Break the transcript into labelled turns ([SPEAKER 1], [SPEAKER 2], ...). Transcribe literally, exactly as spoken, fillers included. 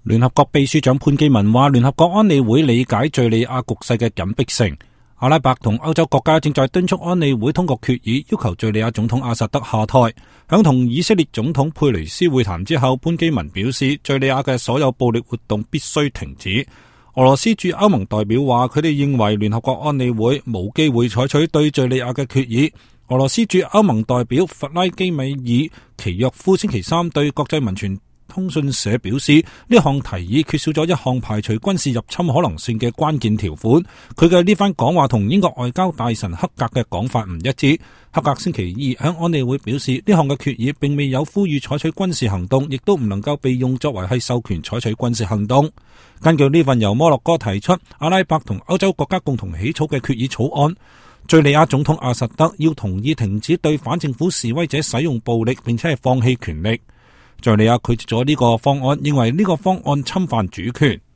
[SPEAKER 1] 聯合國秘書長潘基文話，聯合國安理會理解敘利亞局勢嘅緊迫性。阿拉伯同歐洲國家正在敦促安理會通過決議，要求敘利亞總統阿薩德下台。響同以色列總統佩雷斯會談之後，潘基文表示，敘利亞嘅所有暴力活動必須停止。俄羅斯駐歐盟代表話，佢哋認為聯合國安理會冇機會採取對敘利亞嘅決議。俄羅斯駐歐盟代表弗拉基米爾奇約夫星期三對國際民傳通訊社表示，呢項提議缺少咗一項排除軍事入侵可能性嘅關鍵條款。佢嘅呢番講話同英國外交大臣克格嘅講法唔一致。克格星期二向安理會表示，呢項嘅決議並未有呼籲採取軍事行動，亦都唔能夠被用作為係授權採取軍事行動。根據呢份由摩洛哥提出、阿拉伯同歐洲國家共同起草嘅決議草案，敘利亞總統阿薩德要同意停止對反政府示威者使用暴力，並且係放棄權力。敘利亞拒絕咗呢個方案，認為呢個方案侵犯主權。